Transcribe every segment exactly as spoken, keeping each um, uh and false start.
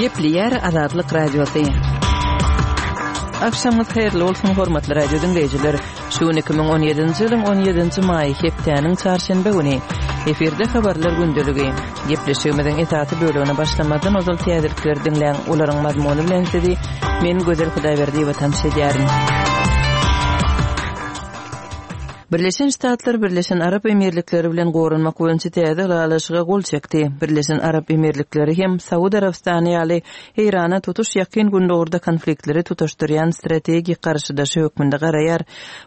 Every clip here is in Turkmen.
Gepleýär Azatlyk Radiosy. Agşamyňyz haýyrly bolsun, hormatly radio diňleýjiler. Şu gün iki müň on ýedinji ýylyň on ýedinji maýy, hepdäniň çarşenbe güni. Efirde habarlar gündeligi. Gepleşigimiziň esasy bölegine başlamazdan ozal täzelikleri diňläň, olaryň mazmuny bilen sizi men Gözel Hudaýberdiýewa tanyş edýärin. Birleşen Ştatlar Birleşen Arap Emirlikleri bilen goranmak boýunça täze ylalaşyga gol çekdi. Birleşen Arap Emirlikleri hem Saud Arabystany ýaly Eýrana tutuş Ýakyn Gündogarda konfliktleri tutaşdyrýan strategik garşydaşy hökmünde garaýar.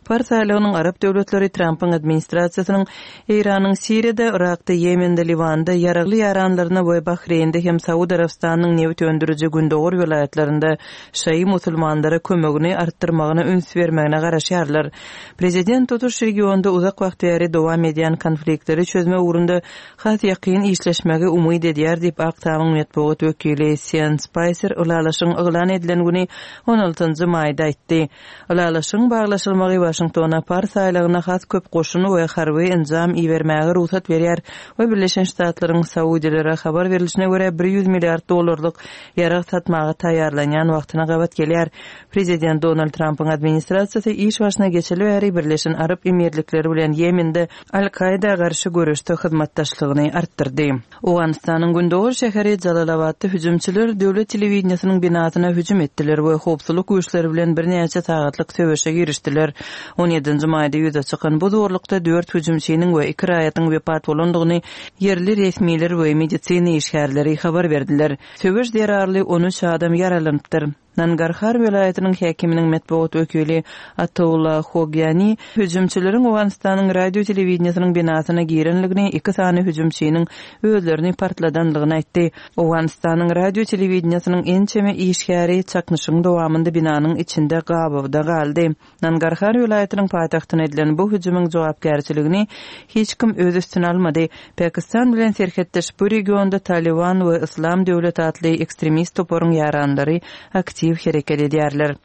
Pars aýlagynyň arap döwletleri Trampyň administrasiýasynyň Eýranyň Siriýada, Yrakda, Ýemende, Liwanda ýaragly ýaranlaryna we Bahreýnde hem Saud Arabystanynyň nebit öndüriji gündogar welaýatlarynda şaýy musulmanlara kömegini artdyrmagyna üns bermegine garaşýarlar. Prezident tutuş regionda uzak wagt bäri dowam edýän konfliktleri çözmek ugrunda has ýakyn işleşmegi umyt edýär diýip, Ak Tamyň metbugat wekili Sean Spaýser ylalaşygyň yglan edilen güni on altynjy maýda aýtdy. Ylalaşygyň baglaşylmagy Waşingtona Pars aýlagyna has köp goşun we harby enjam ibermäge rugsat berýär we Birleşen Ştatlaryň Saudilere habar berlişine görä bir ýüz milliard dollarlyk ýarag satmaga taýýarlanýan wagtyna gabat gelýär. Prezident Donald Trampyň administrasiýasy iş başyna geçeli bäri Birleşen Arap Emirlikleri bilen Ýemende Al-Kaýda garşy göreşde hyzmatdaşlygyny artdyrdy. Owganystanyň gündogar şäheri Jalalabatda hüjümçiler döwlet telewideniýesiniň binasyna hüjüm etdiler we howpsuzlyk güýçleri bilen birnäçe sagatlyk söweşe girişdiler. On ýedinji maýda ýüze çykan bu zorlukda dört hüjümçiniň we iki raýatyň wepat bolandygyny ýerli resmiler we medisina işgärleri habar berdiler. Söweş zerarly on üç adam ýaralanypdyr. Nangarhar welaýatynyň häkiminiň metbugat wekili Ataullah Hogyani hüjümçileriň Owganystanyň radio telewideniýesiniň binasyna girenligini, iki sany hüjümçiniň özlerini partladanlygyny aýtdy. Owganystanyň radio telewideniýesiniň ençeme işgäri çaknyşygyň dowamynda binanyň içinde gabawda galdy. Nangarhar welaýatynyň paýtagtyna edilen bu hüjümiň jogapkärçiligini hiç kim öz üstüne almady. Pakistan bilen serhetdeş bu regionda Taliban we Islam döwlet atly ekstremist toparyň ýaranlary aktiw hereket edýärler.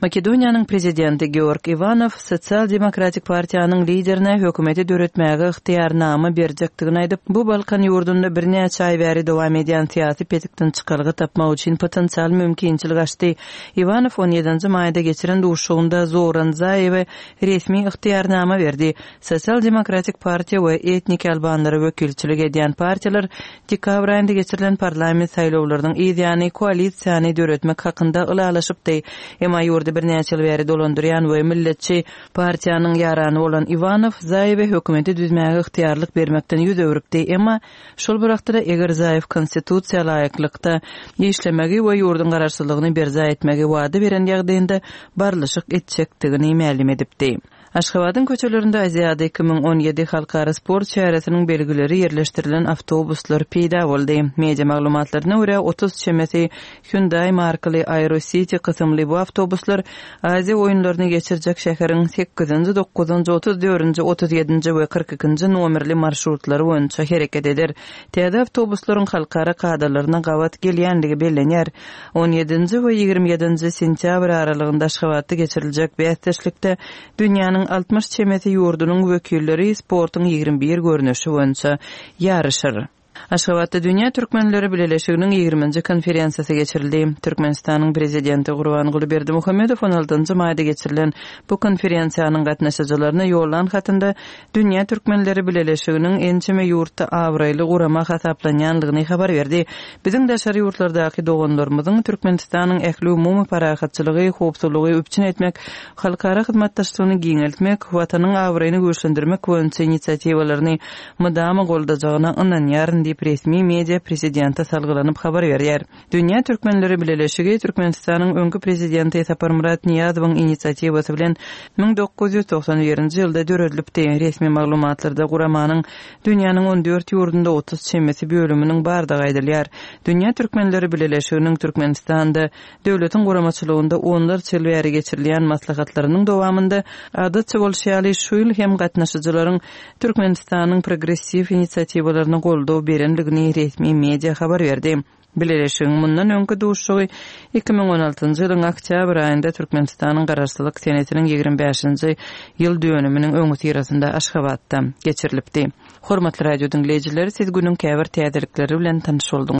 Makedoniýanyň prezidenti Georg Iwanow Sosial Demokratik partiýanyň liderine hökümeti döretmäge ygtyýarnama berjekdigini aýdyp, bu Balkan ýurdunda birnäçe aý bäri dowam edýän syýasy petikden çykalga tapmak üçin potensial mümkinçilik açdy. Iwanow on ýedinji maýda geçiren duşuşygynda Zoran Zaýewe resmi ygtyýarnama berdi. Sosial Demokratik partiýa we etnik albanlara wekilçilik edýän partiýalar dekabr aýynda geçirilen parlament saýlawlarynyň yzýany koalisiýany döretmek hakynda ylalaşypdy. Emma ýurdy birnäçe ýyl bäri dolandyrýan we milletçi partiýanyň ýarany bolan Iwanow Zaýewe hökümeti düzmäge ygtyýarlyk bermekden ýüz öwrüpdi. Emma şol bir wagtda eger Zaýew konstitusiýa laýyklykda işlemegi we ýurduň garaşsyzlygyny berjaý etmegi wada beren ýagdaýynda barlyşyk etjekdigini mälim edipdi. Aşgabadyň köçelerinde Aziada iki müň on ýedi halkara sport çäresiniň belgileri ýerleşdirilen awtobuslar peýda boldy. Media maglumatlaryna görä otuz çemesi Hyundai markaly Aero City kysymly bu awtobuslar Aziýa oýunlaryny geçirjek şäheriň sekizinji, dokuzynjy, otuz dördünji, otuz ýedinji we kyrk ikinji nomerli marşrutlary boýunça hereket eder. Täze awtobuslaryň halkara kadalaryna gabat gelýändigi bellenýär. On ýedinji we ýigrimi ýedinji sentýabr aralygynda Aşgabatda geçiriljek bäsdeşlikde dünýäniň altmyş çemesi ýurdunyň wekilleri sportuň ýigrimi bir görnüşi boýunça ýaryşar. Aşgabatda Dünýä Türkmenleri Bileleşiginiň ýigriminji konferensiýasy geçirildi. Türkmenistanyň Prezidenti Gurbanguly Berdimuhamedow on altynjy maýda geçirilen bu konferensiýanyň gatnaşyjylaryna ýollan hatynda Dünýä Türkmenleri Bileleşiginiň ençeme ýurtda abraýly gurama hasaplanýanlygyny habar berdi. Biziň daşary ýurtlardaky doganlarymyzyň Türkmenistanyň ähli umumy parahatçylygy, howpsuzlygy üpjün etmek, halkara hyzmatdaşlygyny giňeltmek, watanyň abraýyny güýçlendirmek boýunça inisiatiwalaryny mydama goldajagyna ynanýaryn diýip resmi media prezidente salgylanyp habar berýär. Dünýä Türkmenleri Bileleşigi Türkmenistanyň öňki prezidenti Saparmyrat Nyýazowyň inisiatiwasy bilen müň dokuz ýüz togsan birinji ýylda döredilipdi. Resmi maglumatlarda guramanyň dünýäniň on dört ýurdunda otuz çemesi bölüminiň bardygy aýdylýar. Dünýä Türkmenleri Bileleşiginiň Türkmenistanda döwletiň guramaçylygynda onlarça ýyl bäri geçirilýän maslahatlarynyň dowamynda adatça bolşy ýaly şu ýyl hem gatnaşyjylaryň Türkmenistanyň progressiw inisiatiwalaryna goldaw berenligini resmi media habar berdi. Bileleşigiň mundan öňki duşuşygy iki müň on altynjy ýylyň oktýabr aýynda Türkmenistanyň Garaşsyzlyk senesiniň ýigrimi bäşinji ýyl dönüminiň öňüsyrasynda Aşgabatda geçirilipdi. Hormatly radio diňleýjiler, siz günüň käbir täzelikleri bilen tanyş bolduňyz.